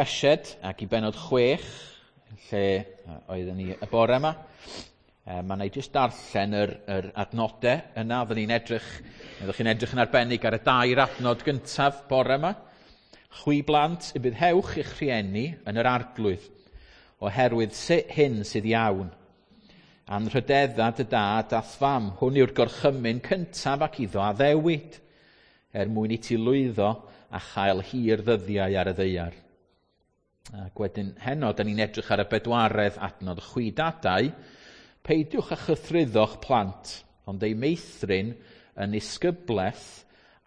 Efesiaid ac i bennod 6, lle oeddwn ni y bore yma. Mae yna i jyst darllen yr adnodau yna. Oeddwn ni'n edrych, oeddech chi'n edrych yn arbennig ar y dair adnod gyntaf bore yma. Chwi blant y bydd hewch i'ch rhieni yn yr Arglwydd, oherwydd hyn sydd iawn. Anrhydedda dy dad a'th fam, hwn yw'r gorchymyn cyntaf ac iddo addewid, er mwyn i ti lwyddo a chael hir ddyddiau ar y ddaear. Ac wedyn heno, da ni'n edrych ar y bedwaredd adnod. Chwi dadau, peidiwch â chythruddo'ch plant, ond eu meithrin yn isgybleth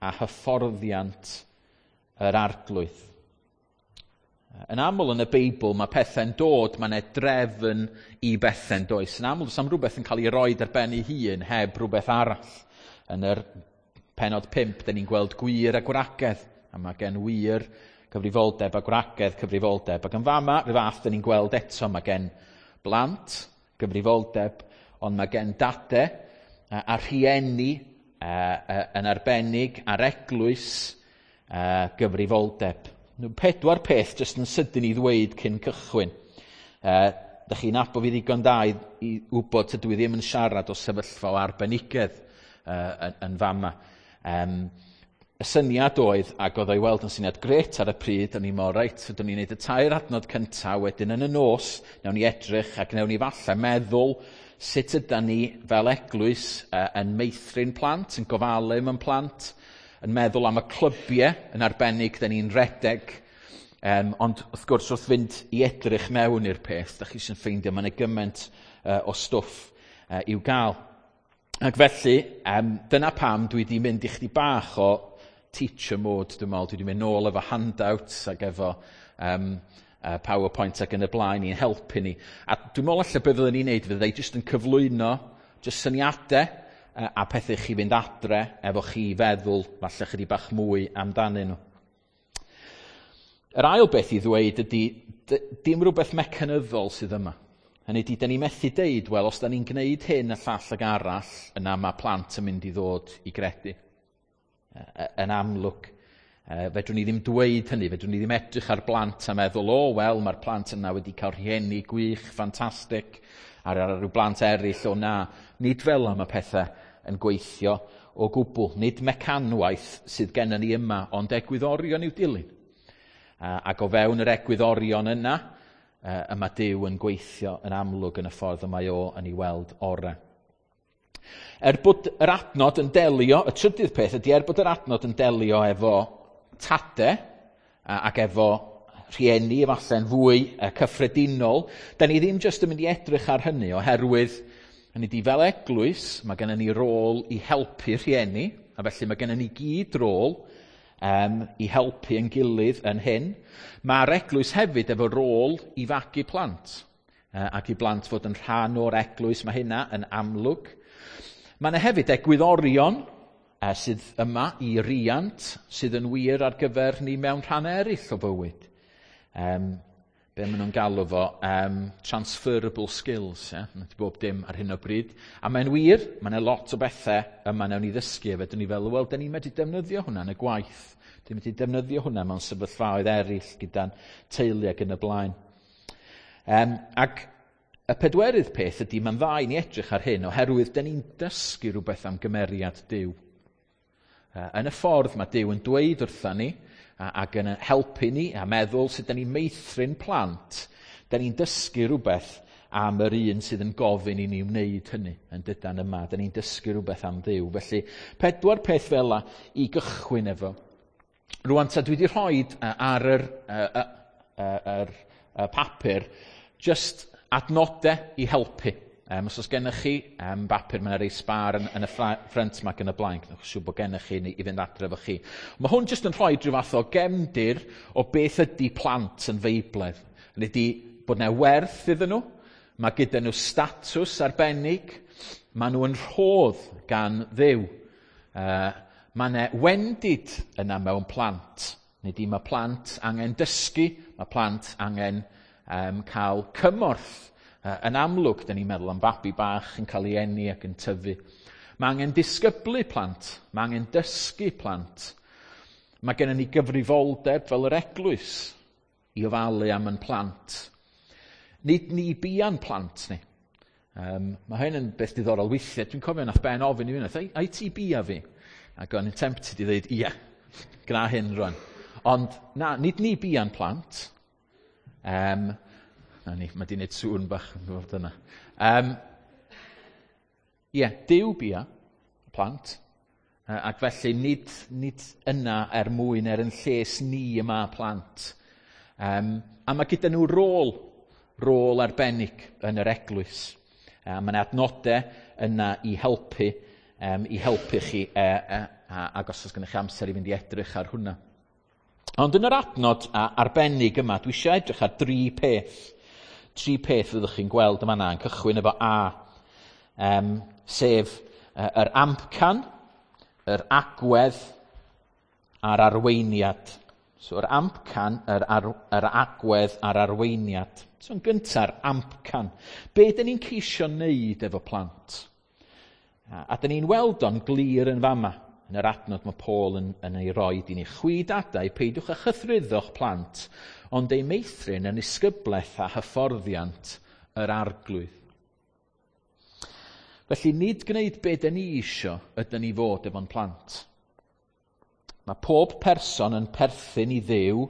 a hyfforddiant yr Arglwydd. Yn aml yn y Beibl mae pethau'n dod, mae yna drefn i bethau'n does. Yn aml does am rhywbeth yn cael ei roed ar ben ei hun heb rhywbeth arall. Yn yr pennod 5, da ni'n gweld gwir a gwragedd, a mae gen wir cyfrifoldeb a gwragedd cyfrifoldeb. Ac yn fama, rhyw fath, da ni'n gweld eto, mae gen blant gyfrifoldeb, ond mae gen dade a rhieni yn arbennig a'r eglwys gyfrifoldeb. 4 peth jyst yn sydyn i ddweud cyn cychwyn. Da chi'n nabod fi ddigon da i wybod tydw i ddim yn siarad o sefyllfa o arbenigedd yn fama. Y syniad oedd, ac oedd o'i weld yn syniad gret ar y pryd, o'n i'n meddwl, reit, ydyn ni'n neud y 3 adnod cyntaf, wedyn yn y nos, nawn ni edrych ac nawn ni falle meddwl sut ydan ni fel eglwys yn meithrin plant, yn gofalu am plant, yn meddwl am y clybiau yn arbennig da ni'n redeg. Ond wrth gwrs, wrth fynd i edrych mewn i'r peth, da chi sy'n ffeindio mae yna gymaint o stwff i'w gael. Ac felly, dyna pam dwi wedi mynd i chdi bach o teacher mode, dwi'n meddwl. Dwi wedi mynd nôl efo handouts ac efo PowerPoint ac yn y blaen i'n helpu ni. A dwi'n meddwl allan beth fyddwn ni'n neud, fyddai jyst yn cyflwyno jyst syniadau a pethau chi fynd adre efo chi feddwl falle chydig bach mwy amdanyn nhw. Yr ail beth i ddweud ydy, dim rhywbeth mecanyddol sydd yma. Hynny ydy, da ni methu deud, wel, os da ni'n gwneud hyn y llall ag arall, yna mae plant yn mynd i ddod i gredu. Yn amlwg, fedrwn ni ddim dweud hynny, fedrwn ni ddim edrych ar blant a meddwl, o, wel, mae'r plant yna wedi cael rhieni gwych, ffantastig, ar ryw blant eraill, o na. Nid fel yma mae pethau yn gweithio o gwbl. Nid mecanwaith sydd gennym ni yma, ond egwyddorion i'w dilyn. Ac o fewn yr egwyddorion yna, y mae Duw yn gweithio yn amlwg yn y ffordd y mae o yn ei weld orau. Er bod yr adnod yn delio, y trydydd peth ydy er bod yr adnod yn delio efo tade ac efo rhieni efallai'n fwy cyffredinol, da ni ddim jyst yn mynd i edrych ar hynny oherwydd hynny ydy fel eglwys, mae gennym ni rôl i helpu rhieni, a felly mae gennym ni gyd rôl i helpu yn gilydd yn hyn. Mae'r eglwys hefyd efo rôl i fagu plant, ac i blant fod yn rhan o'r eglwys, mae hynna yn amlwg. Mae yna hefyd egwyddorion sydd yma i riant sydd yn wir ar gyfer ni mewn rhan eraill o fywyd. Be maen nhw'n galw fo, transferable skills, yeah? Di bob dim ar hyn o bryd. A mae'n wir, mae yna lot o bethau yma nawn ni ddysgu, a fedrwn ni fel, wel, da ni'n medru defnyddio hwnna yn y gwaith. Da ni'n medru defnyddio hwnna mewn sefyllfaoedd eraill gyda'n teulu ac yn y blaen. Ac y pedwerydd peth ydy, mae'n dda i ni edrych ar hyn, oherwydd da ni'n dysgu rhywbeth am gymeriad Duw. Yn y ffordd mae Duw yn dweud wrtha ni, ac yn helpu ni a meddwl sut da ni'n meithrin plant, da ni'n dysgu rhywbeth am yr un sydd yn gofyn i ni wneud hynny yn dydan yma. Da ni'n dysgu rhywbeth am Dduw. Felly, 4 peth fel la i gychwyn efo. Rwan ta dwi wedi rhoi ar yr papur just adnodau i helpu. Os oes gennych chi bapur, mae yna rei sbar yn y ffrynt yma ac yn y blaen. Gwnewch siŵr bod gennych chi i fynd adre efo chi. Mae hwn jyst yn rhoi rhyw fath o gefndir o beth ydy plant yn Feiblaidd. Hynny ydy bod yna werth iddyn nhw, mae gyda nhw statws arbennig, mae nhw yn rhodd gan Dduw. Mae yna wendid yna mewn plant. Hynny ydy mae plant angen dysgu, mae plant angen cael cymorth. Yn amlwg, da ni'n meddwl am fabi bach yn cael ei eni ac yn tyfu. Mae angen disgyblu plant, mae angen dysgu plant. Mae gennym ni gyfrifoldeb fel yr eglwys. i ofalu am yn plant. Nid ni bia'n plant ni. Mae hyn yn beth diddorol weithiau. Dwi'n cofio nath Ben ofyn i fi, ai ti bia fi? Ac o'n i'n tempted i ddweud, ie, gwna hyn rwan. Ond na, nid ni bia'n plant. Na ni, mae di wneud sŵn bach yn gwybod yna. Ie, Duw bia plant. Ac felly nid yna er mwyn er yn lles ni yma plant. A mae gyda nhw rôl arbennig yn yr eglwys. A mae yna adnodau yna i helpu chi, ac os oes gennych chi amser i fynd i edrych ar hwnna. Ond yn yr adnod arbennig yma, dwi eisiau edrych ar dri peth. Tri peth fyddwch chi'n gweld yma yn cychwyn efo A, sef yr amcan, yr agwedd a'r arweiniad. So yr amcan, yr agwedd a'r arweiniad. So yn gynta'r amcan. Be dyn ni'n ceisio wneud efo plant? A dyn ni'n weld o'n glir yn fama. Yn yr adnod mae Paul yn ei roi i ni. Chwi dadau, peidiwch â chythruddo'ch plant, ond eu meithrin yn isgyblaeth a hyfforddiant yr Arglwydd. Felly nid gwneud be dyn ni isio ydyn ni fod efo'n plant. Mae pob person yn perthyn i Dduw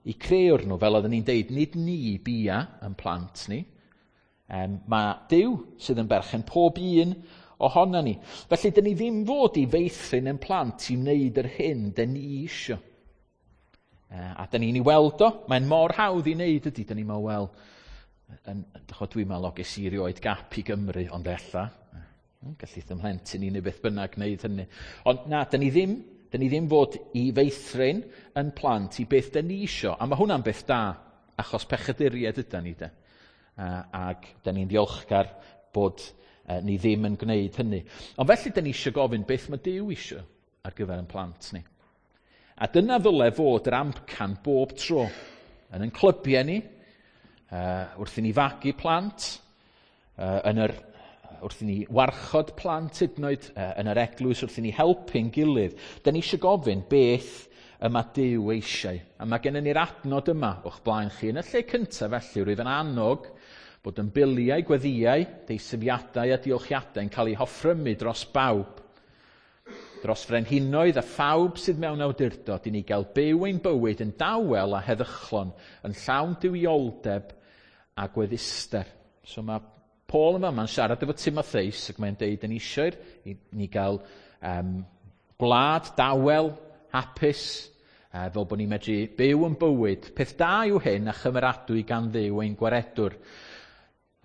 i creuwr nhw, fel oedden ni'n deud, nid ni bia yn plant ni. Mae Duw sydd yn berchen pob un ohono ni. Felly, dyn ni ddim fod i feithrin yn plant i wneud yr hyn dyn ni isio. A dyn ni'n ei weld o, mae'n mor hawdd i wneud ydy, dyn ni'n meddwl, wel, dwi'n meddwl, o, ges i rioed gap i Gymru, ond ella, gallith ymhlentyn i neu beth bynnag wneud hynny. Ond na, dyn ni ddim fod i feithrin yn plant i beth dyn ni isio, a mae hwnna'n beth da, achos pechaduriaid ydan ni de. Ac dyn ni'n ddiolchgar bod ni ddim yn gwneud hynny. Ond felly dyn ni eisiau gofyn beth mae Duw eisiau ar gyfer ein plant ni. A dyna ddyle fod yr amcan bob tro. Yn ein clybiau ni, wrth i ni fagu plant, wrth i ni warchod plant hyd yn oed, yn yr eglwys, wrth i ni helpu'n gilydd. Dyn ni eisiau gofyn beth y mae Duw eisiau. A mae gennym ni'r adnod yma o'ch blaen chi. Yn y lle cyntaf felly, rwyf yn annog bod yn biliau, gweddïau, deisyfiadau a diolchiadau yn cael eu hoffrymu dros bawb. Dros frenhinoedd a phawb sydd mewn awdurdod i ni gael byw ein bywyd yn dawel a heddychlon, yn llawn duwioldeb a gwedduster. So mae Paul yma, mae'n siarad efo Timotheus ac mae'n deud yn eisiau i ni gael gwlad dawel, hapus, fel bod ni'n medru byw yn bywyd. Peth da yw hyn a chymeradwy gan Dduw ein gwaredwr.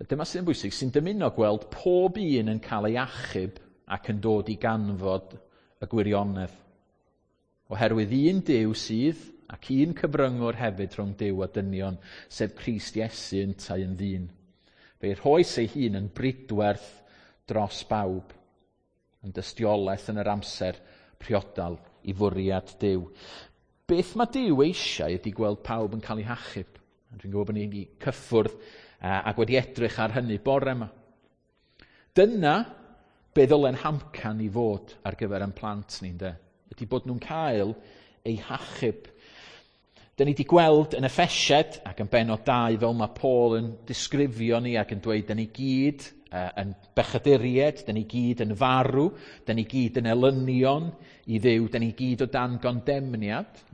Dyma sydd yn bwysig, sy'n dymuno gweld pob un yn cael ei achub ac yn dod i ganfod y gwirionedd. Oherwydd un Duw sydd, ac un cyfryngwr hefyd rhwng Duw a dynion, sef Crist Iesu yntau yn ddyn. Fe'i rhoes ei hun yn bridwerth dros bawb, yn dystiolaeth yn yr amser priodal i fwriad Duw. Beth mae Duw eisiau ydy gweld pawb yn cael ei hachub. Dwi'n gwybod bod ni wedi cyffwrdd ac wedi edrych ar hynny bore yma. Dyna be ddylen hamcan i fod ar gyfer ein plant ni, ynde? Ydy bod nhw'n cael eu hachub. Dyn ni wedi gweld yn Effesiaid ac yn bennod 2 fel mae Paul yn disgrifio ni ac yn dweud dyn ni gyd yn bechaduriaid, dyn ni gyd yn farw, dyn ni gyd yn elynion i Dduw, dyn ni gyd o dan gondemniad.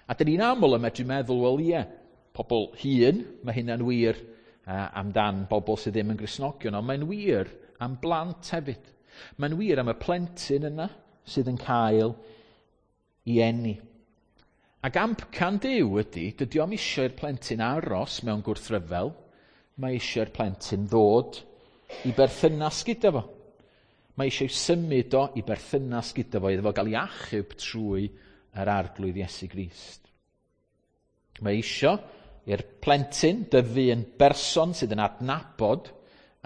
A dyn ni'n aml yn medru meddwl, wel ie, pobl hŷn, mae hynna'n wir amdan bobl sydd ddim yn Gristnogion, ond mae'n wir am blant hefyd. Mae'n wir am y plentyn yna sydd yn cael ei eni. Ac amcan Duw ydy, dydy o'm eisiau i'r plentyn aros mewn gwrthryfel, mae eisiau i'r plentyn ddod i berthynas gyda fo. Mae eisiau symud o i berthynas gyda fo, iddo fo gael ei achub trwy yr Arglwydd Iesu Grist. Mae eisiau i'r plentyn dyfu yn berson sydd yn adnabod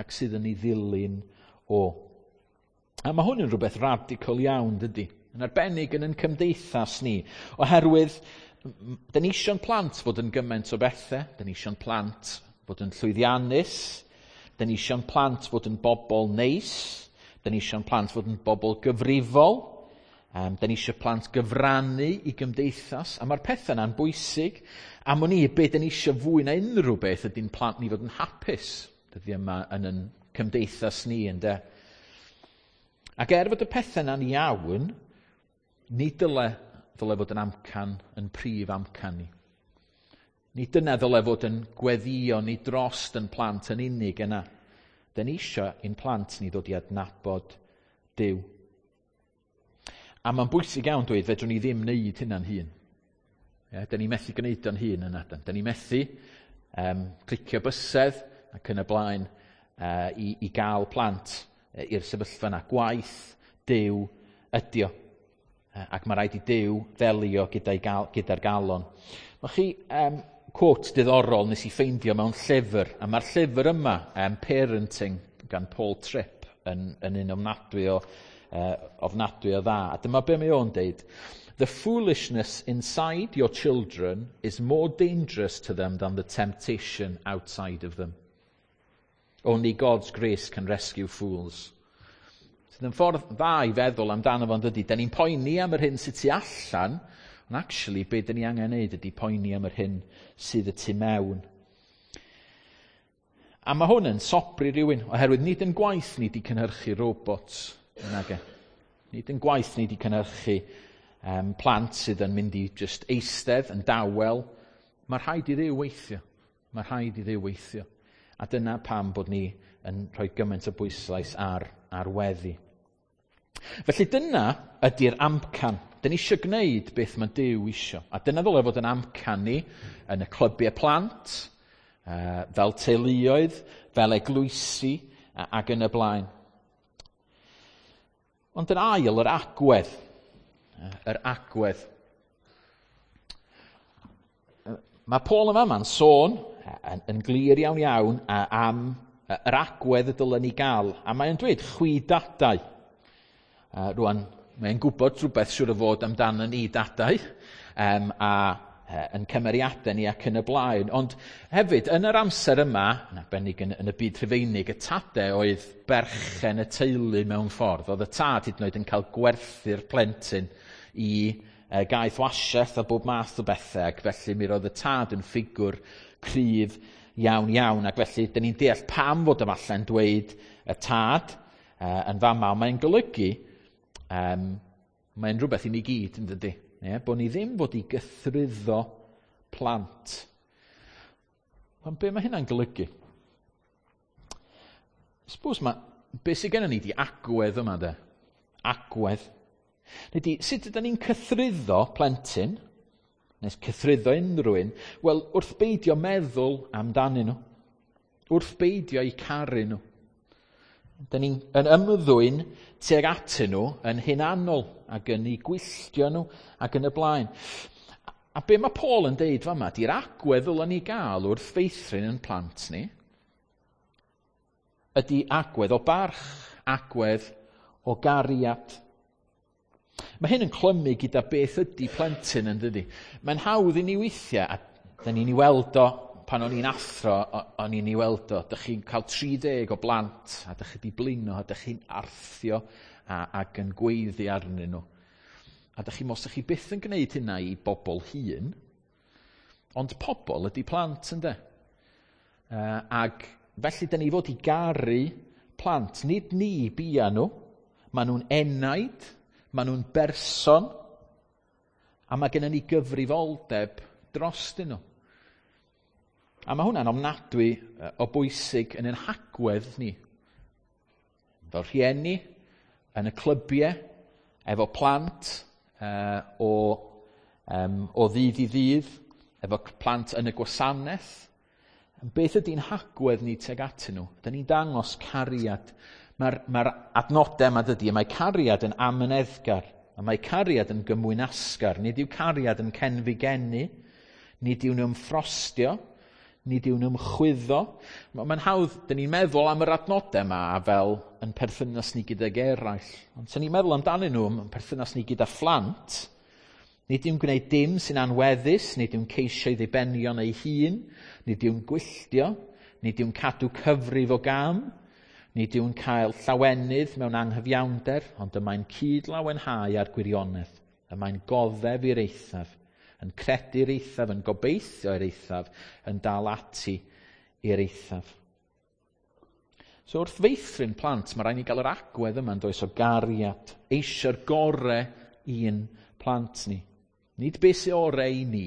ac sydd yn ei ddilyn o. A mae hwn yn rhywbeth radical iawn, dydy? Yn arbennig yn ein cymdeithas ni, oherwydd dyn ni eisiau'n plant fod yn gymaint o bethau, dyn ni eisiau'n plant fod yn llwyddiannus, dyn ni eisiau'n plant fod yn bobl neis, dyn ni eisiau'n plant fod yn bobl gyfrifol, Da ni eisiau plant gyfrannu i gymdeithas, a mae'r pethau yna'n bwysig. Am wn i, be da ni eisiau fwy na unrhyw beth ydy'n plant ni fod yn hapus dyddiau yma yn yn cymdeithas ni, ynde. Ac er fod y pethau yna'n iawn, ni dyle fod yn amcan, yn prif amcan ni. Ni dyna ddyle fod yn gweddio ni drost yn plant yn unig yna. Da ni eisiau i'n plant ni ddod i adnabod Duw. A mae'n bwysig iawn dweud, fedrwn ni ddim wneud hynna'n hun. Ie, da ni methu gwneud o'n hun yna. Da ni methu clicio bysedd ac yn y blaen i gael plant i'r sefyllfa yna. Gwaith Duw ydi o. Ac mae rhaid i Duw ddelio gyda'r galon. Mae chi quote diddorol nes i ffeindio mewn llyfr, a mae'r llyfr yma, Parenting, gan Paul Tripp, yn un ofnadwy o dda. A dyma be mae o'n deud. The foolishness inside your children is more dangerous to them than the temptation outside of them. Only God's grace can rescue fools. Sydd yn ffordd dda i feddwl amdano fo'n dydy. Da ni'n poeni am yr hyn sydd tu allan, ond actually be da ni angen neud ydy poeni am yr hyn sydd y tu mewn. A mae hwn yn sobri rhywun, oherwydd nid yn gwaith ni di cynhyrchu robots. Nage. Nid yn gwaith ni di cynhyrchu plant sydd yn mynd i just eistedd yn dawel. Mae rhaid i Dduw weithio. Mae rhaid i Dduw weithio. A dyna pam bod ni yn rhoi gymaint o bwyslais ar weddi. Felly dyna ydy'r amcan. Dyn ni eisiau gwneud beth mae Duw isio. A dyna ddyle fod yn amcan ni yn y clybiau plant, fel teuluoedd, fel eglwysi ac yn y blaen. Ond yn ail, yr agwedd. Yr agwedd. Mae Paul yn fama'n sôn yn glir iawn iawn am yr agwedd y dylen ni gael. A mae'n dweud chwi dadau. Rwan, mae'n gwybod rhywbeth siŵr o fod amdano ni dadau a yn cymeriadau ni ac yn y blaen. Ond hefyd, yn yr amser yma, yn arbennig yn y byd Rhufeinig, y tadau oedd berchen y teulu mewn ffordd. Oedd y tad hyd yn oed yn cael gwerthu'r plentyn i gaeth wasiaeth a bob math o bethau, ac felly mi roedd y tad yn ffigwr cryf iawn iawn, ac felly dyn ni'n deall pam fod efallai'n dweud y tad yn fama, ond mae'n golygu, mae'n rhywbeth i ni gyd yn dydy. Ie, bod ni ddim fod i gythruddo plant. Ond be mae hynna'n golygu? Suppose mae, be sydd gennym ni di agwedd yma de? Agwedd. Neu sut ydyn ni'n cythruddo plentyn, neu cythruddo unrhyw un? Wel, wrth beidio meddwl amdanyn nhw. Wrth beidio eu caru nhw. Dyn ni'n yn ymddwyn tuag atyn nhw yn hunanol ac yn eu gwylltio nhw ac yn y blaen. A be mae Paul yn deud fama, di'r agwedd ddylen ni gael wrth feithrin yn plant ni, ydy agwedd o barch, agwedd o gariad. Mae hyn yn clymu gyda beth ydy plentyn yn dydy. Mae'n hawdd i ni weithiau, a dyn ni'n ei weld o pan o'n i'n athro, o'n i'n ei weld o. Dych chi'n cael 30 o blant, a dych chi 'di blino, a dych chi'n arthio ac yn gweiddi arnyn nhw. A dych chi'n meddwl, chi byth yn gwneud hynna i bobl hŷn, ond pobl ydy plant, ynde? Ac felly dyn ni fod i garu plant, nid ni bia nhw. Maen nhw'n enaid, maen nhw'n berson, a mae gennym ni gyfrifoldeb drostyn nhw. A mae hwnna'n ofnadwy o bwysig yn ein hagwedd ni. Fel rhieni, yn y clybiau, efo plant o ddydd i ddydd, efo plant yn y gwasanaeth. Beth ydy'n hagwedd ni tuag atyn nhw? Dyn ni'n dangos cariad. Mae'r adnodau yma dydy, mae cariad yn amyneddgar, a mae cariad yn gymwynasgar. Nid yw cariad yn cenfigenu, nid yw'n ymffrostio, nid yw'n ymchwyddo. Mae'n hawdd, dyn ni'n meddwl am yr adnodau yma fel yn perthynas ni gydag eraill. Ond sy'n ni'n meddwl amdanyn nhw yn perthynas ni gyda phlant, nid yw'n gwneud dim sy'n anweddus, nid yw'n ceisio ei ddibenion ei hun, nid yw'n gwylltio, nid yw'n cadw cyfrif o gam, Nid yw'n cael llawenydd mewn anghyfiawnder, ond y mae'n cyd-lawenhau â'r gwirionedd. Y mae'n goddef i'r eithaf, yn credu'r eithaf, yn gobeithio i'r eithaf, yn dal ati i'r eithaf. So wrth feithrin plant, mae rhaid ni gael yr agwedd yma yn does o gariad, eisiau'r gore i'n plant ni. Nid beth sydd orau i ni,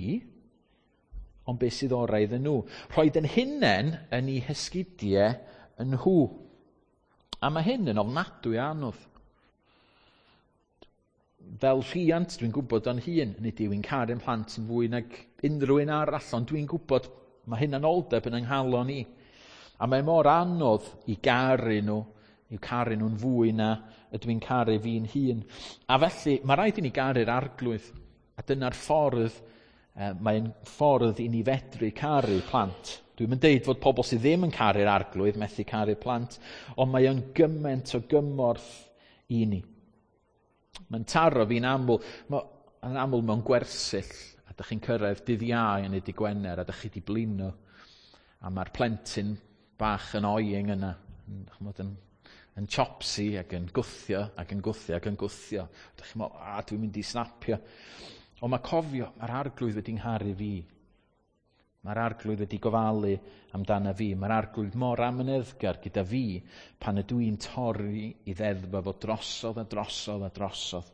ond beth sydd orau iddyn nhw. Rhoed yn hunain yn eu hesgidiau yn nhw. A mae hyn yn ofnadwy anodd. Fel rhiant, dwi'n gwybod o'n hun, nid yw'n caru'n plant yn fwy nag unrhyw un arall, ond dwi'n gwybod mae hunanoldeb yn ynghalon i. A mae mor anodd i garu nhw, i'w caru nhw'n fwy na ydw i'n caru fi'n hun. A felly, mae rhaid i ni garu'r Arglwydd. A dyna'r ffordd, mae'n ffordd i ni fedru caru plant. Dwi'm yn deud fod pobl sydd ddim yn caru'r Arglwydd methu caru plant, ond mae o'n gymaint o gymorth i ni. Mae'n taro fi'n aml, yn aml mewn gwersyll, a dych chi'n cyrraedd dydd Iau neu dydd Gwener, a dych chi 'di blino, a mae'r plentyn bach yn oeing yna, yn chopsy ac yn gwthio, ac yn gwthio, ac yn gwthio. Dych chi'n meddwl, a dwi'n mynd i snapio. Ond mae cofio, mae'r Arglwydd wedi ngharu fi. Mae'r Arglwydd wedi gofalu amdana fi. Mae'r Arglwydd mor amyneddgar gyda fi pan ydw i'n torri i ddeddf fo drosodd a drosodd a drosodd.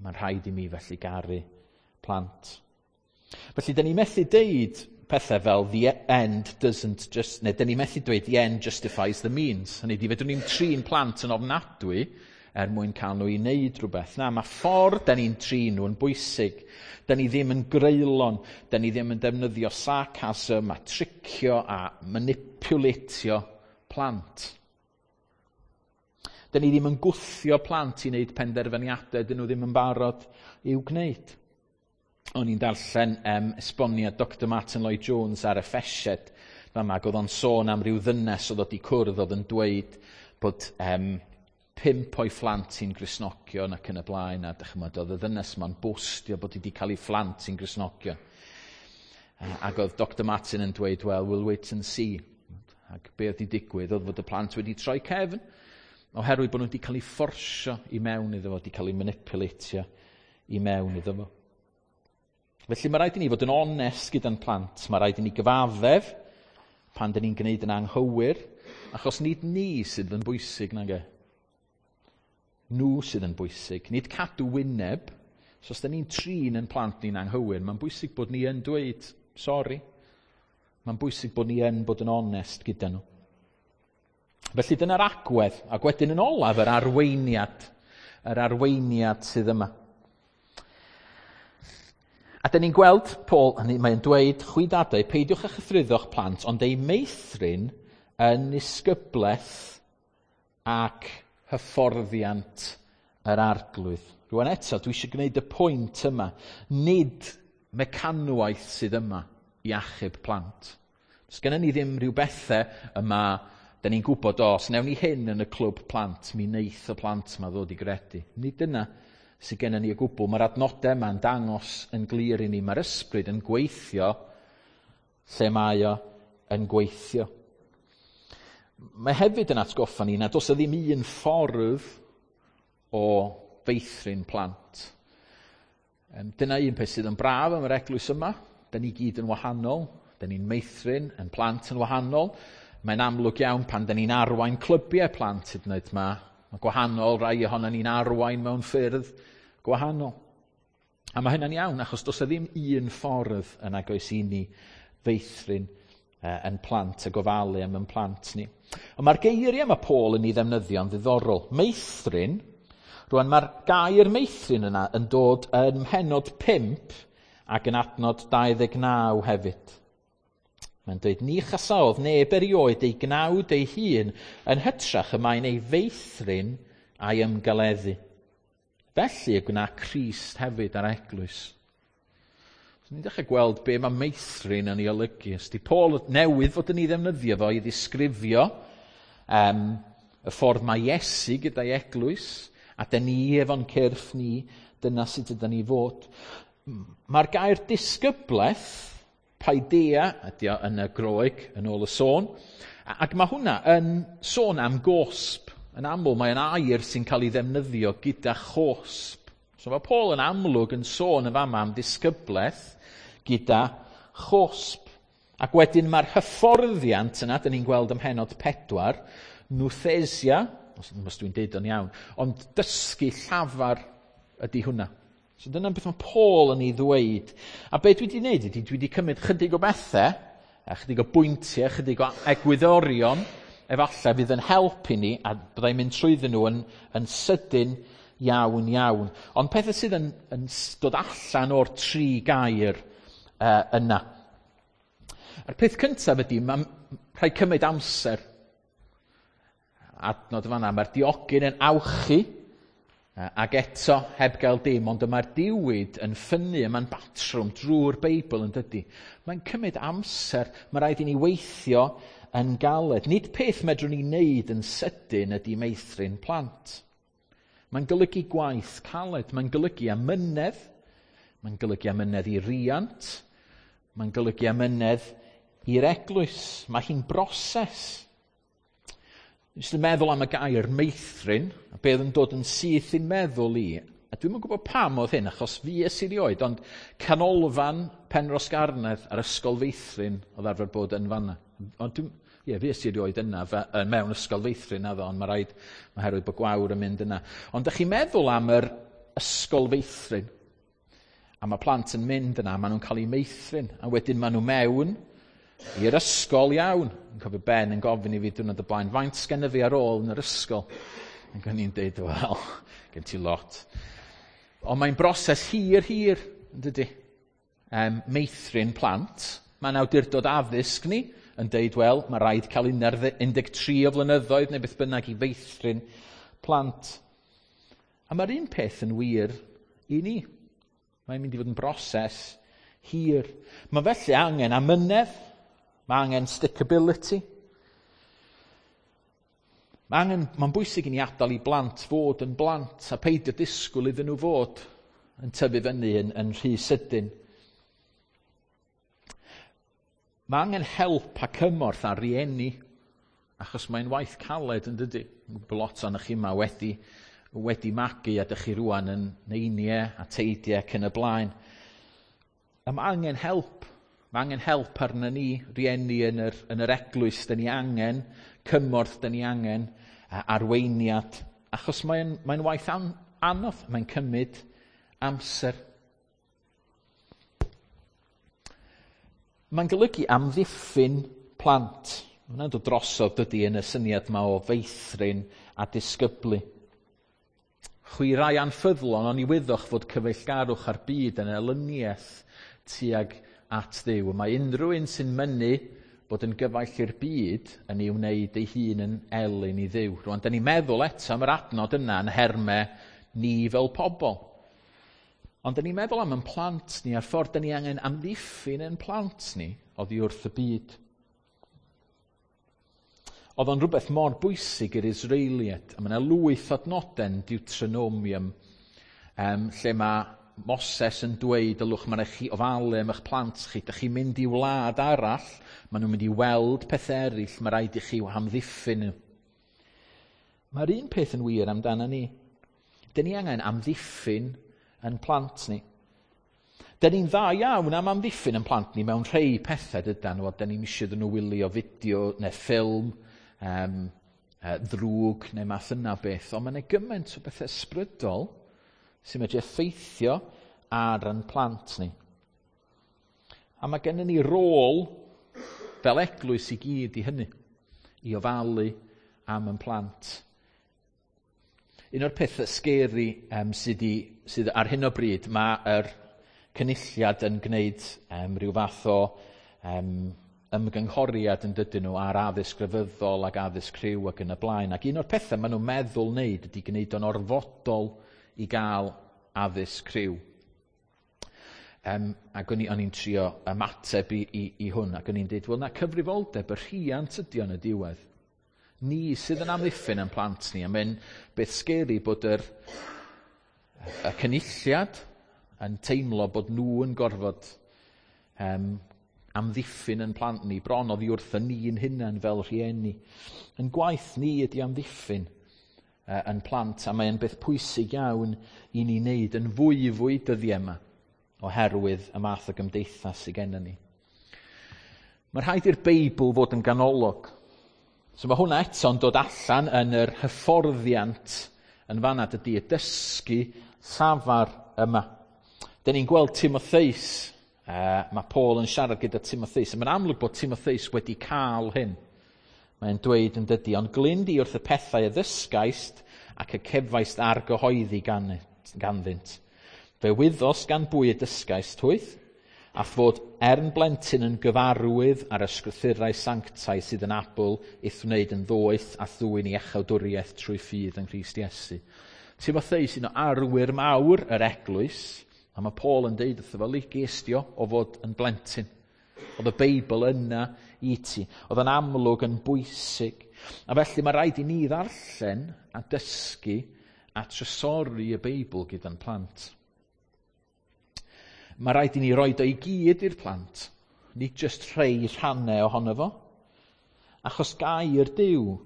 Mae'n rhaid i mi felly garu plant. Felly, dyn ni methu deud pethau fel the end doesn't just, neu dyn ni methu dweud the end justifies the means. Hynny ydi, fedrwn ni'n trin plant yn ofnadwy er mwyn cael nhw i wneud rhywbeth. Na, mae ffordd da ni'n trin nhw yn bwysig. Da ni ddim yn greulon, da ni ddim yn defnyddio sarcasm a tricio a manipulatio plant. Da ni ddim yn gwthio plant i wneud penderfyniadau dyn nhw ddim yn barod i'w gwneud. O'n i'n darllen esboniad Dr Martyn Lloyd-Jones ar Effesiaid fama, ac oedd o'n sôn am ryw ddynes oedd wedi cwrdd oedd yn dweud bod 5 o'i phlant hi'n Gristnogion ac yn y blaen, a dychmod, oedd y ddynes yma'n bostio bod hi wedi cael ei phlant hi'n Gristnogion. Ac oedd Dr Martyn yn dweud, well, we'll wait and see. Ac be oedd wedi digwydd oedd fod y plant wedi troi cefn, oherwydd bod nhw wedi cael eu fforsio i mewn iddo fo, wedi cael eu manipulatio i mewn iddo fo. Felly mae rhaid i ni fod yn onest gyda'n plant, mae rhaid i ni gyfaddef pan dyn ni'n gwneud yn anghywir, achos nid ni sydd yn bwysig, nage. Nhw sydd yn bwysig, nid cadw wyneb. So os dyn ni'n trin yn plant ni'n anghywir, mae'n bwysig bod ni yn dweud sori. Mae'n bwysig bod ni yn bod yn onest gyda nhw. Felly dyna'r agwedd, ac wedyn yn olaf yr arweiniad sydd yma. A dyn ni'n gweld Paul, mae'n dweud, chwi dadau, peidiwch â chythruddo'ch plant, ond eu meithrin yn nisgyblaeth ac hyfforddiant yr Arglwydd. Rwan eto, dwi eisiau gwneud y pwynt yma. Nid mecanwaith sydd yma i achub plant. Does gennym ni ddim rhyw bethau yma, da ni'n gwybod, os newn ni hyn yn y clwb plant, mi wneith y plant yma ddod i gredu. Nid dyna sydd gennym ni o gwbl. Mae'r adnodau yma'n dangos yn glir i ni. Mae'r ysbryd yn gweithio lle mae o yn gweithio. Mae hefyd yn atgoffa ni nad oes ddim un ffordd o feithrin plant. Dyna un peth sydd yn braf am yr eglwys yma. Da ni gyd yn wahanol. Da ni'n meithrin yn plant yn wahanol. Mae'n amlwg iawn pan da ni'n arwain clybiau plant hyd yn oed ma. Mae gwahanol, rai ohono ni'n arwain mewn ffyrdd gwahanol. A mae hynna'n iawn, achos does ddim un ffordd yn agos i ni feithrin yn plant a gofalu am yn plant ni. Ond mae'r geiriau mae Paul yn ei ddefnyddio'n ddiddorol. Meithrin, rwan mae'r gair meithrin yna yn dod yn mhennod 5 ac yn adnod 29 hefyd. Mae'n dweud, ni chasaodd neb erioed ei gnawd ei hun yn hytrach y mae'n ei feithrin a'i ymgaleddu. Felly y gwna Crist hefyd ar eglwys. So ni'n dechrau gweld be mae meithrin yn ei olygu. Os di Paul newydd fod yn ei ddefnyddio fo i ddisgrifio y ffordd mae Iesu gyda'i eglwys, a dyn ni efo'n cyrff ni, dyna sut ydyn ni fod. Mae'r gair disgyblaeth, paideia, ydy o yn y Groeg, yn ôl y sôn, Ac mae hwnna yn sôn am gosb. Yn aml mae'n air sy'n cael ei ddefnyddio gyda chosb. So mae Paul yn amlwg yn sôn yn fama am ddisgyblaeth gyda chosb. Ac wedyn mae'r hyfforddiant yna, dyn ni'n gweld ym mhennod 4, nouthesia, os dwi'n deud o'n iawn, ond dysgu llafar ydy hwnna. So dyna beth mae Paul yn ei ddweud. A be dwi wedi wneud ydy, dwi wedi cymryd chydig o bethau, a chydig o bwyntiau, chydig o egwyddorion, efallai fydd yn helpu ni, a byddai'n mynd trwyddyn nhw yn sydyn iawn iawn. Ond pethau sydd yn dod allan o'r tri gair yna. A'r peth cyntaf ydy, mae'n rhaid cymryd amser. Adnod fan'na, mae'r diogyn yn awchu, ac eto heb gael dim, ond mae'r diwyd yn ffynnu, mae'n batrwm drwy'r Beibl yn dydy. Mae'n cymryd amser, mae rhaid i ni weithio yn galed. Nid peth medrwn ni wneud yn sydyn ydy meithrin plant. Mae'n golygu gwaith caled, mae'n golygu amynedd, mae'n golygu amynedd i riant, mae'n golygu amynedd i'r eglwys. Mae hi'n broses. Jyst yn meddwl am y gair meithrin, a beth yn dod yn syth i'n meddwl i, a dwi'm yn gwybod pam oedd hyn, achos fi es i erioed, ond canolfan Penrhos Garnedd a'r ysgol feithrin oedd arfer bod yn fanna. Ond ie, fi es i erioed yna, mewn ysgol feithrin addo, ond mae rhaid, oherwydd bod Gwawr yn mynd yna. Ond ydych chi'n meddwl am yr ysgol feithrin, a mae plant yn mynd yna, maen nhw'n cael eu meithrin, a wedyn maen nhw mewn i'r ysgol iawn. Yn cofio Ben yn gofyn i fi diwrnod y blaen, faint sgenna fi ar ôl yn yr ysgol? Ac o'n i'n deud, wel, gen ti lot. Ond mae'n broses hir, hir, yn dydy? Meithrin plant. Mae'n awdurdod addysg ni yn deud, wel, mae rhaid cael 13 o flynyddoedd neu beth bynnag i feithrin plant. A mae'r un peth yn wir i ni. Mae'n mynd i fod yn broses hir. Mae felly angen amynedd, mae angen stickability. Mae'n bwysig i ni adael i blant fod yn blant a peidio disgwyl iddyn nhw fod yn tyfu fyny yn rhy sydyn. Mae angen help a cymorth ar rieni, achos mae'n waith caled yn dydy. Mae lot o'n chi yma wedi magu a dych chi rwan yn neiniau a teidiau ac yn y blaen. A mae angen help. Mae angen help arna ni, rieni yn yr eglwys. Dyn ni angen cymorth, dyn ni angen arweiniad. Achos mae'n waith anodd, mae'n cymryd amser. Mae'n golygu amddiffyn plant. Mae'n dod drosodd dydy yn y syniad yma o feithrin a disgyblu. Chwi rai anffyddlon, ond i wyddoch fod cyfeillgarwch ar byd yn elyniaeth tuag at Dduw. Mae unrhyw un sy'n mynnu bod yn gyfaill i'r byd yn ei wneud ei hun yn elyn i Dduw. Rwan, da ni'n meddwl eto am yr adnod yna yn hermau ni fel pobl. Ond da ni'n meddwl am ein plant ni a'r ffordd da ni angen amddiffyn ein plant ni oddi wrth y byd. Oedd o'n rhywbeth mor bwysig i'r Israeliaid, a mae yna lwyth adnodau Deuteronomium, lle mae Moses yn dweud, ylwch, mae'n rhaid chi ofalu am eich plant chi, dych chi'n mynd i wlad arall, maen nhw'n mynd i weld pethau eraill, mae rhaid i chi amddiffyn nhw. Mae'r un peth yn wir amdano ni. Dyn ni angen amddiffyn yn plant ni. Dyn ni'n dda iawn am amddiffyn yn plant ni mewn rhai pethau dydan nhw, dyn ni'n eisiau iddyn nhw wylio fideo neu ffilm ddrwg neu math yna beth, ond mae'n gymaint o bethau ysbrydol sy'n medru effeithio ar ein plant ni. A mae gennym ni rôl fel eglwys i gyd i hynny, i ofalu am ein plant. Un o'r pethau scary sydd ar hyn o bryd, mae'r cynulliad yn gwneud rhyw fath o ymgynghoriad yn dydyn nhw ar addysg grefyddol ac addysg rhyw ac yn y blaen. Ac un o'r pethau maen nhw'n meddwl wneud ydy gwneud o'n orfodol i gael addysg rhyw. Ac o'n i'n trio ymateb i hwn, ac o'n i'n dweud, wel na, cyfrifoldeb y rhiant ydy o'n y diwedd. Ni sydd yn amddiffyn yn plant ni, a mae'n beth scary bod y cynulliad yn teimlo bod nhw yn gorfod Amddiffyn yn plant ni, bron oddi wrth y ni'n hunain fel rhieni. Yn gwaith ni ydy amddiffyn yn plant, a mae'n beth pwysig iawn i ni wneud yn fwyfwy dyddiau yma, oherwydd y math o gymdeithas sydd gennym ni. Mae rhaid i'r Beibl fod yn ganolog. So mae hwnna eto'n dod allan yn yr hyfforddiant yn fanna, dydy, y dysgu llafar yma. Dyn ni'n gweld Timotheus, mae Paul yn siarad gyda Timotheus, a mae'n amlwg bod Timotheus wedi cael hyn. Mae'n dweud yn dydy, "Ond glyn di wrth y pethau y ddysgaist ac y cefaist argyhoeddi ganddynt. Fe wyddost gan bwy y dysgaist hwyth, a fod er yn blentyn yn gyfarwydd ar ysgrythurau sanctaidd sydd yn abl i'th wneud yn ddoeth a ddwyn i iachawdwriaeth trwy ffydd yng Nghrist Iesu." Timotheus, un o arwyr mawr yr eglwys, a mae Paul yn deud wrtho fo, gestio o fod yn blentyn. Oedd y Beibl yna i ti. Oedd yn amlwg yn bwysig. A felly mae rhaid i ni ddarllen a dysgu a trysori y Beibl gyda'n plant. Mae rhaid i ni roed o i gyd i'r plant, nid jyst rhai rhannau ohono fo. Achos gair Duw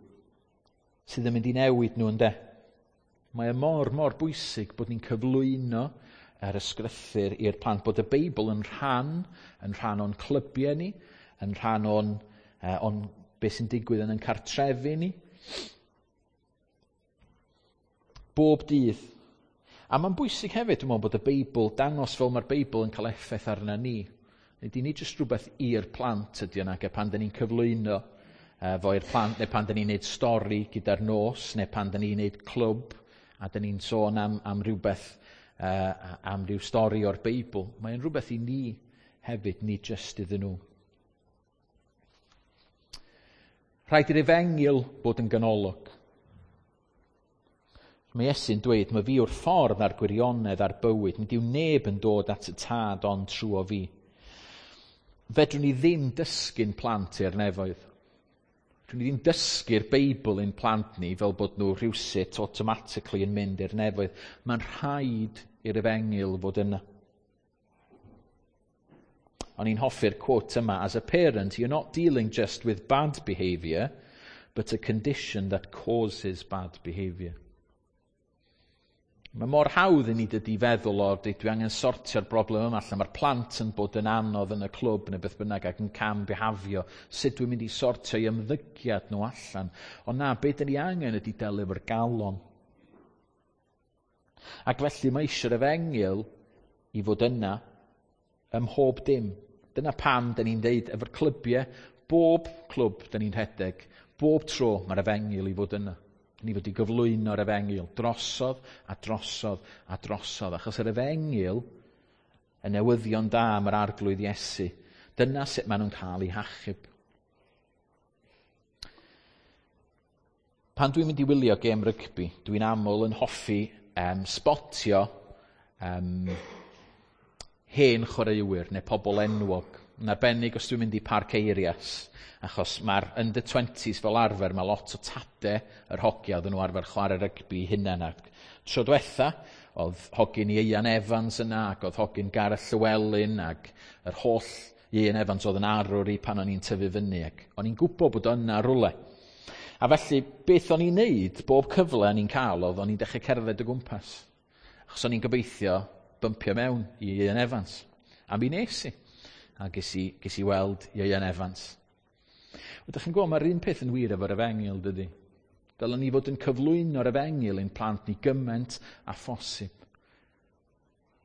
sydd yn mynd i newid nhw, ynde. Mae e mor, mor bwysig bod ni'n cyflwyno yr ysgrythur i'r plant, bod y Beibl yn rhan o'n clybiau ni, yn rhan o'n beth sy'n digwydd yn ein cartrefi ni. Bob dydd. A mae'n bwysig hefyd, dwi'n meddwl, bod y Beibl, dangos fel mae'r Beibl yn cael effaith arna ni. Nid i ni jyst rhywbeth i'r plant ydy yna, ac pan dyn ni'n cyflwyno fo i'r plant, neu pan dyn ni'n neud stori gyda'r nos, neu pan dyn ni'n neud clwb, a dyn ni'n sôn am rhywbeth, am ryw stori o'r Beibl. Mae'n rhywbeth i ni hefyd, nid jyst iddyn nhw. Rhaid i'r efengyl bod yn ganolog. Mae Iesu'n dweud, "Mae fi yw'r ffordd a'r gwirionedd a'r bywyd. Nid yw neb yn dod at y Tad ond trwy fi." Fedrwn ni ddim dysgu'n plant i'r nefoedd. Fedrwn ni ddim dysgu'r Beibl i'n plant ni fel bod nhw rhywsut automatically yn mynd i'r nefoedd. Mae'n rhaid i'r efengyl fod yna. O'n i'n hoffi'r quote yma, "As a parent, you're not dealing just with bad behaviour, but a condition that causes bad behaviour." Mae mor hawdd i ni, dydy, feddwl o, dwi angen sortio'r broblem yma allan. Mae'r plant yn bod yn anodd yn y clwb neu beth bynnag ac yn cam bihafio. Sut dwi'n mynd i sortio i ymddygiad nhw allan? Ond na, beth dyn ni angen ydy delio efo'r galon. Ac felly mae eisiau'r efengyl i fod yna ym mhob dim. Dyna pam dyn ni'n deud efo'r clybiau, bob clwb dyn ni'n rhedeg, bob tro mae'r efengyl i fod yna. Ni fod i gyflwyno'r efengyl drosodd a drosodd a drosodd, achos yr efengyl, y newyddion da am yr Arglwydd Iesu, dyna sut maen nhw'n cael eu hachub. Pan dwi'n mynd i wylio gêm rygbi, dwi'n aml yn hoffi spotio hen chwaraewyr neu pobl enwog. Yn arbennig os dwi'n mynd i Parc Eirias, achos mae'r under 20s fel arfer, mae lot o tade yr hogia oedden nhw arfer chwarae rygbi hunain. Ac tro diwetha, oedd hogyn Ieuan Evans yna, ac oedd hogyn Gareth Llewellyn, ac yr holl Ieuan Evans oedd yn arwr i pan o'n i'n tyfu fyny, ac o'n i'n gwybod bod yna rwle. A felly, beth o'n i'n neud, bob cyfle o'n i'n cael, oedd o'n i'n dechrau cerdded o gwmpas. Achos o'n i'n gobeithio bympio mewn i Ieuan Evans. A mi nes i. A ges i weld Ieuan Evans. Ydych chi'n gwybod, mae'r un peth yn wir efo'r efengyl, dydy? Dylen ni fod yn cyflwyno'r efengyl i'n plant ni gymaint a phosib.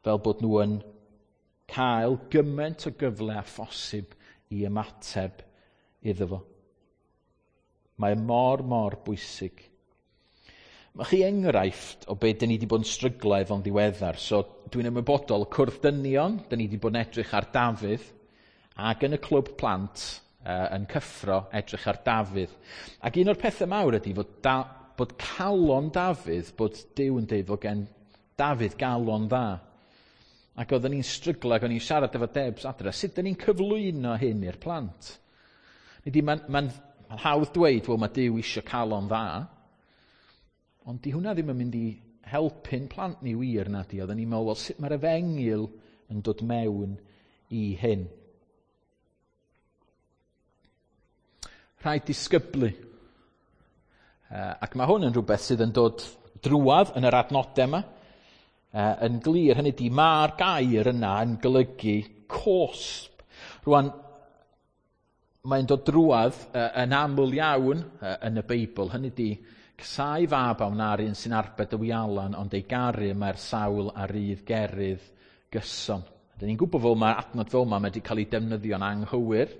Fel bod nhw yn cael gymaint o gyfle a phosib i ymateb iddo fo. Mae mor, mor bwysig. Mae chi enghraifft o beth dyn ni wedi bod yn stryglo efo'n ddiweddar. So dwi'n ymwybodol, Cwrdd Dynion, dyn ni wedi bod yn edrych ar Dafydd, ac yn y clwb plant yn cyffro edrych ar Dafydd. Ac un o'r pethau mawr ydy fod, bod calon Dafydd, bod Duw yn dweud fod gen Dafydd galon dda. Ac oedden ni'n stryglo ac o'n i'n siarad efo Debs adre, sut dyn ni'n cyflwyno hyn i'r plant? Nid mae'n ma hawdd dweud, wel, mae Duw eisiau calon dda, ond di hwnna ddim yn mynd i helpu'n plant ni wir na di. Oedden ni'n meddwl, wel, sut mae'r efengyl yn dod mewn i hyn? Rhaid disgyblu. Ac mae hwn yn rhywbeth sydd yn dod drwadd yn yr adnodau yma. Yn glir, hynny di, mae'r gair yna yn golygu cosb. Rwan, mae'n dod drwadd yn aml iawn yn y Beibl. Hynny di, casau fab a wna'r un sy'n arbed y wialan, ond ei garu mae'r sawl a rydd gerydd gyson. Dyn ni'n gwybod fel mae'r adnod fel yma mae wedi cael ei defnyddio'n anghywir,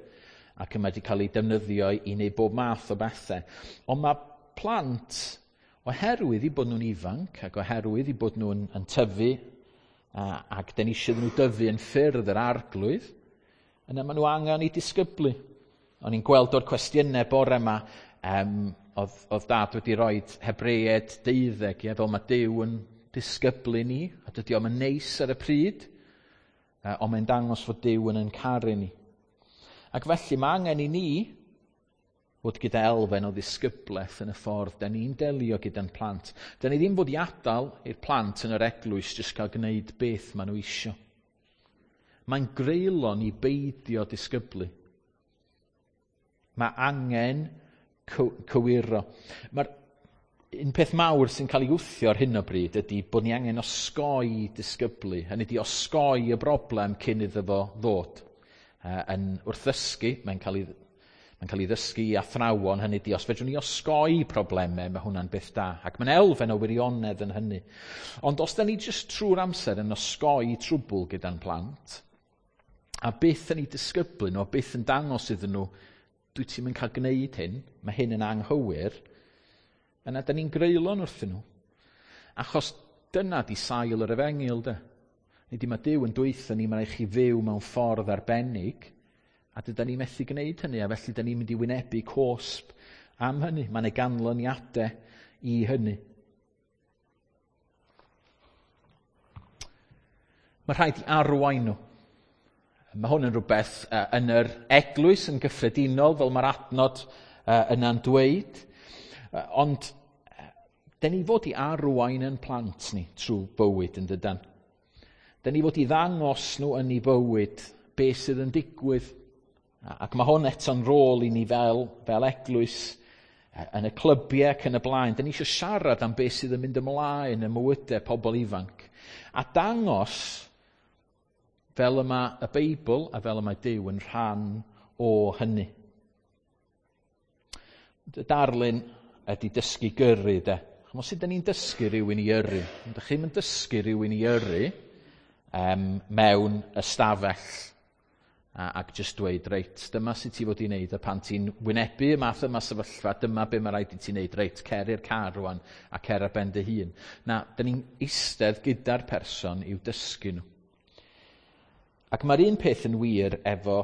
ac mae wedi cael ei defnyddio i wneud bob math o bethau. Ond mae plant, oherwydd i bod nhw'n ifanc, ac oherwydd i bod nhw'n yn tyfu, ac dyn ni eisiau nhw dyfu yn ffyrdd yr arglwydd, yna maen nhw angen i disgyblu. O'n i'n gweld o'r cwestiynau bore yma, oedd, oedd dad wedi rhoi Hebreaid 12, ie, fel mae Duw yn disgyblu ni, a dydy o'm yn neis ar y pryd, ond mae'n dangos fod Duw yn yn caru ni. Ac felly mae angen i ni fod gyda elfen o ddisgyblaeth yn y ffordd da ni'n delio gyda'n plant. Da ni ddim fod i adael i'r plant yn yr eglwys jyst cael gwneud beth maen nhw isio. Mae'n greulon i beidio disgyblu. Mae angen cywiro. Mae'r un peth mawr sy'n cael ei wthio ar hyn o bryd ydy bod ni angen osgoi disgyblu. Hynny ydy osgoi y broblem cyn iddo fo ddod. Yn wrth ddysgu, mae'n cael ei, mae'n cael ei ddysgu i athrawon, hynny ydy, os fedrwn ni osgoi problemau, mae hwnna'n beth da. Ac mae'n elfen o wirionedd yn hynny. Ond os da ni jyst trwy'r amser yn osgoi trwbl gyda'n plant, a byth yn ei disgyblu nhw, a byth yn dangos iddyn nhw, dwi ti'n mynd cael gwneud hyn, mae hyn yn anghywir, yna da ni'n greulon wrthyn nhw. Achos dyna di sail yr efengyl, de. Nid i mae Duw yn dweutho ni, mae'n rhaid chi fyw mewn ffordd arbennig, a dyda ni methu gwneud hynny, a felly da ni'n mynd i wynebu cosb am hynny. Mae'n ei ganlyniadau i hynny. Mae rhaid i arwain nhw. Mae hwn yn rhywbeth yn yr eglwys yn gyffredinol, fel mae'r adnod yna'n dweud. Ond, da ni fod i arwain yn plant ni trwy bywyd yn dydan. Da ni fod i ddangos nhw yn ei bywyd beth sydd yn digwydd. Ac mae hwn eto'n rôl i ni fel, fel eglwys yn y clybiau ac yn y blaen. Da ni eisiau siarad am beth sydd yn mynd ymlaen yn mywydau pobl ifanc. A dangos fel yma y Beibl a fel yma Duw yn rhan o hynny. Y darlun ydy dysgu gyrru, de. Chymod, sut da ni'n dysgu rhywun i yrru? Ydych chi'n mynd dysgu rhywun i yrru mewn ystafell ac jyst dweud, reit, dyma sut ti fod i wneud, a pan ti'n wynebu y math yma sefyllfa, dyma be mae rhaid i ti wneud, reit, cer i'r car rwan a cer ar ben dy hun. Na, da ni'n eistedd gyda'r person i'w dysgu nhw. Ac mae'r un peth yn wir efo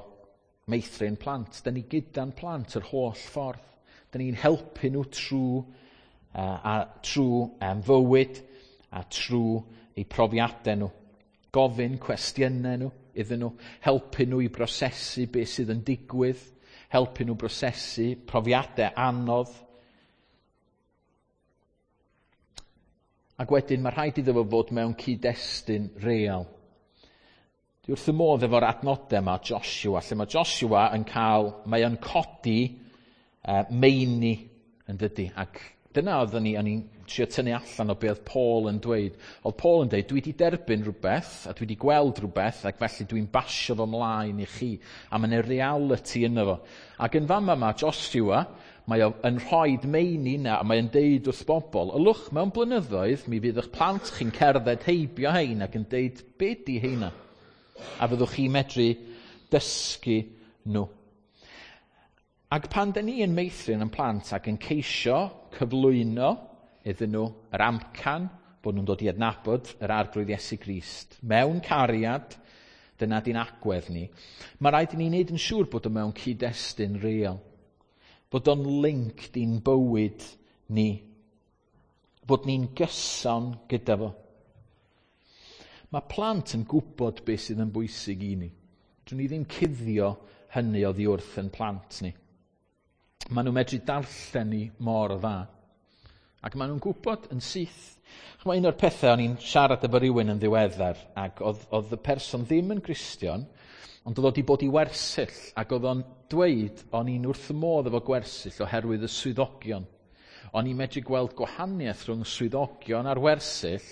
meithrin plant. Da ni gyda'n plant yr holl ffordd. Da ni'n helpu nhw trwy, a, trwy fywyd a trwy eu profiadau nhw. Gofyn cwestiynau nhw iddyn nhw, helpu nhw i brosesu beth sydd yn digwydd, helpu nhw brosesu profiadau anodd. Ac wedyn mae rhaid iddo fo fod mewn cyd-destun real. Dwi wrth y modd efo'r adnodau yma, Joshua, lle mae Joshua yn cael, mae o'n codi meini yn dydy, ac dyna oeddwn ni, o'n i'n trio tynnu allan o be oedd Paul yn dweud. Oedd Paul yn dweud, dwi wedi derbyn rhywbeth, a dwi wedi gweld rhywbeth, ac felly dwi'n basio fo mlaen i chi. A mae'n reality yno fo. Ac yn fama yma, Joshua, mae o yn rhoi meini yna, a mae o'n deud wrth bobl, ylwch mewn blynyddoedd, mi fydd eich plant chi'n cerdded heibio hein ac yn deud, be di heina? A fyddwch chi'n medru dysgu nhw. Ac pan da ni yn meithrin yn plant ac yn ceisio cyflwyno iddyn nhw yr amcan bod nhw'n dod i adnabod yr Arglwydd Iesu Grist mewn cariad, dyna di'n agwedd ni, mae rhaid i ni wneud yn siŵr bod o mewn cyd-destun real, bod o'n linked i'n bywyd ni, bod ni'n gyson gyda fo. Mae plant yn gwybod beth sydd yn bwysig i ni. Dwn ni ddim cuddio hynny oddi wrth yn plant ni. Maen nhw'n medru darllen ni mor dda. Ac maen nhw'n gwybod yn syth. Ch'mo', un o'r pethau o'n i'n siarad efo rhywun yn ddiweddar, ac oedd, oedd y person ddim yn Gristion, Ond oedd o wedi bod i wersyll, ac oedd o'n dweud o'n i'n wrth y modd efo gwersyll oherwydd y swyddogion. O'n i'n medru gweld gwahaniaeth rhwng swyddogion ar wersyll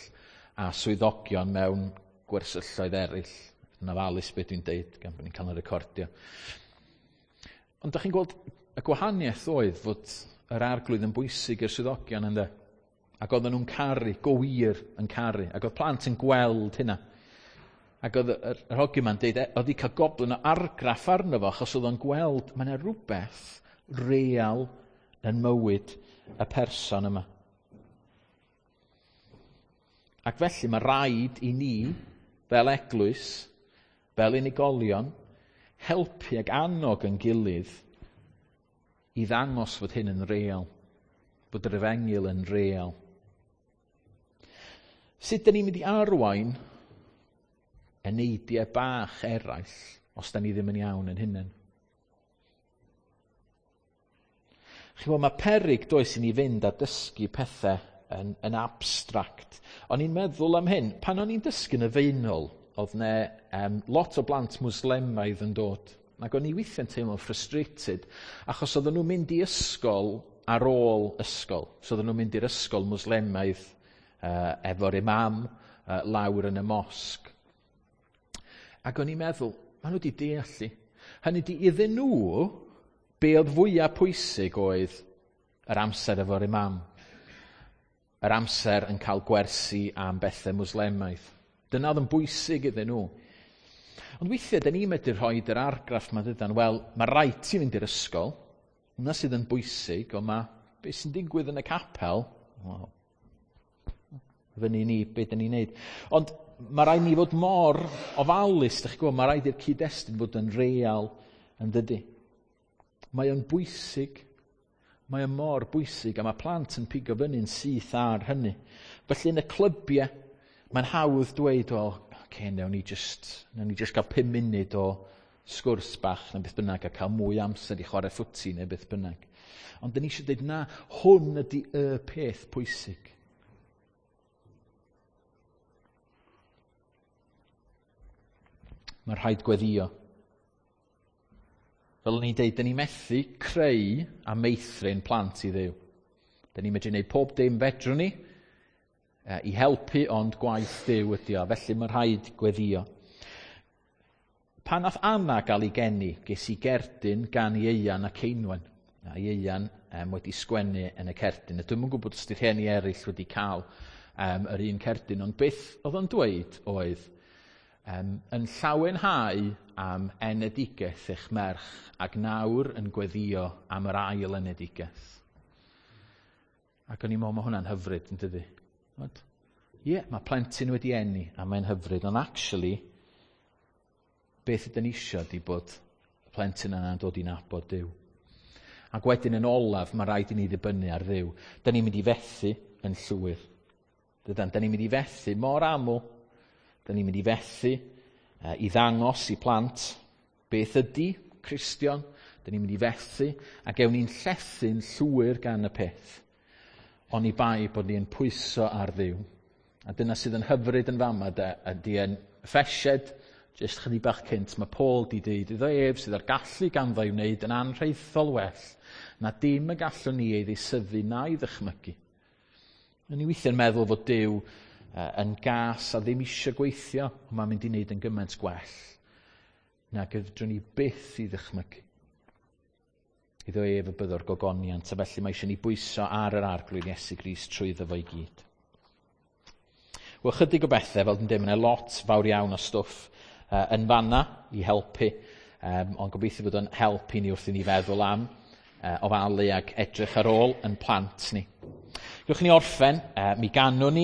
a swyddogion mewn gwersylloedd eraill. Yn ofalus beth dwi'n deud, gan bod ni'n cael ein recordio. Ond da chi'n gweld, y gwahaniaeth oedd fod yr arglwydd yn bwysig i'r swyddogion ynddo. Ac oedden nhw'n caru, go wir yn caru. Ac oedd plant yn gweld hynna. Ac oedd yr hogyn ma'n deud, oedd wedi cael goblyn o argraff arno fo, achos oedd o'n gweld, mae yna rhywbeth real yn mywyd y person yma. Ac felly mae rhaid i ni, fel eglwys, fel unigolion, helpu ac annog yn gilydd i ddangos fod hyn yn real, bod yr efengyl yn real. Sut dyn ni'n mynd i arwain eneidiau bach eraill os da ni ddim yn iawn yn hunain? Chi'n gwybod, mae peryg does i ni fynd a dysgu pethau yn abstract. O'n i'n meddwl am hyn, pan o'n i'n dysgu yn y Faenol, oedd 'ne lot o blant Mwslemaidd yn dod. Ac o'n i weithiau'n teimlo'n frustrated, achos oedden nhw'n mynd i ysgol ar ôl ysgol. So oedden nhw'n mynd i'r ysgol Mwslemaidd efo'r imam lawr yn y mosg. Ac o'n i'n meddwl, maen nhw wedi deall i. Hynny di, iddyn nhw, be oedd fwyaf pwysig oedd yr amser efo'r imam. Yr amser yn cael gwersi am bethau Mwslemaidd. Dyna oedd yn bwysig iddyn nhw. Ond weithiau, da ni'n medru rhoi yr argraff ma dydan, wel, mae rhaid ti fynd i'r ysgol, hwnna sydd yn bwysig, ond mae beth sy'n digwydd yn y capel, wel, fyny ni, beth dyn ni'n neud. Ond mae rhaid ni fod mor ofalus, dych chi'n gwybod, mae rhaid i'r cyd-destun fod yn real yn dydy. Mae o'n bwysig. Mae o'n mor bwysig, a mae plant yn pigo fyny'n syth ar hynny. Felly yn y clybiau, mae'n hawdd dweud, wel, okay, newn ni just gael 5 munud o sgwrs bach neu beth bynnag a cael mwy amser i chwarae ffwti neu beth bynnag. Ond dyn ni eisiau dweud, na, hwn ydy y peth pwysig. Mae rhaid gweddio. Fel o'n i'n deud, dyn ni methu creu a meithrin plant i Dduw. Dyn ni'n medru gwneud pob dim fedrwn ni i helpu, ond gwaith Duw ydi o. Felly mae rhaid gweddio. Pan nath Anna gael ei geni, ges i gerdyn gan Ieuan a Ceinwen. A Ieuan wedi sgwennu yn y cerdyn. A dwi'm yn gwybod os 'di rhieni eraill wedi cael yr un cerdyn, ond beth oedd o'n dweud oedd, yn llawenhau am enedigaeth eich merch ac nawr yn gweddio am yr ail enedigaeth. Ac o'n i'n meddwl, mae hwnna'n hyfryd, yn dydi? Ie, mae plentyn wedi eni a mae'n hyfryd, ond actually, beth ydyn ni isio ydi bod y plentyn yna'n dod i nabod Duw. Ac wedyn yn olaf, mae rhaid i ni ddibynnu ar Dduw. Dyn ni'n mynd i fethu yn llwyr. Dydan, dyn ni'n mynd i fethu mor aml. Dyn ni'n mynd i fethu i ddangos i plant beth ydy Cristion. Dyn ni'n mynd i fethu a gewn ni'n llethu'n llwyr gan y peth. Oni bai bod ni'n pwyso ar Dduw. A dyna sydd yn hyfryd yn fama de, ydy yn Effesiaid, jyst chydig bach cynt, mae Paul di deud iddo ef sydd â'r gallu ganddo i wneud yn anrhaethol well na dim y gallwn ni ei ddeisyfu na'i ddychmygu. Yn ni weithiau'n meddwl fod Duw yn gas a ddim eisiau gweithio, ond mae'n mynd i wneud yn gymaint gwell nag fedrwn ni byth i ddychmygu. Iddo ef y byddo'r gogoniant, a felly mae eisiau ni bwyso ar yr arglwydd Iesu Grist trwyddo fo i gyd. Wel, chydig o bethau, fel dwi'n dweud, mae'n lot fawr iawn o stwff yn fanna i helpu, ond gobeithio bod o'n help i ni wrth i ni feddwl am ofalu ac edrych ar ôl yn plant ni. Gewch ni orffen, mi ganwn ni.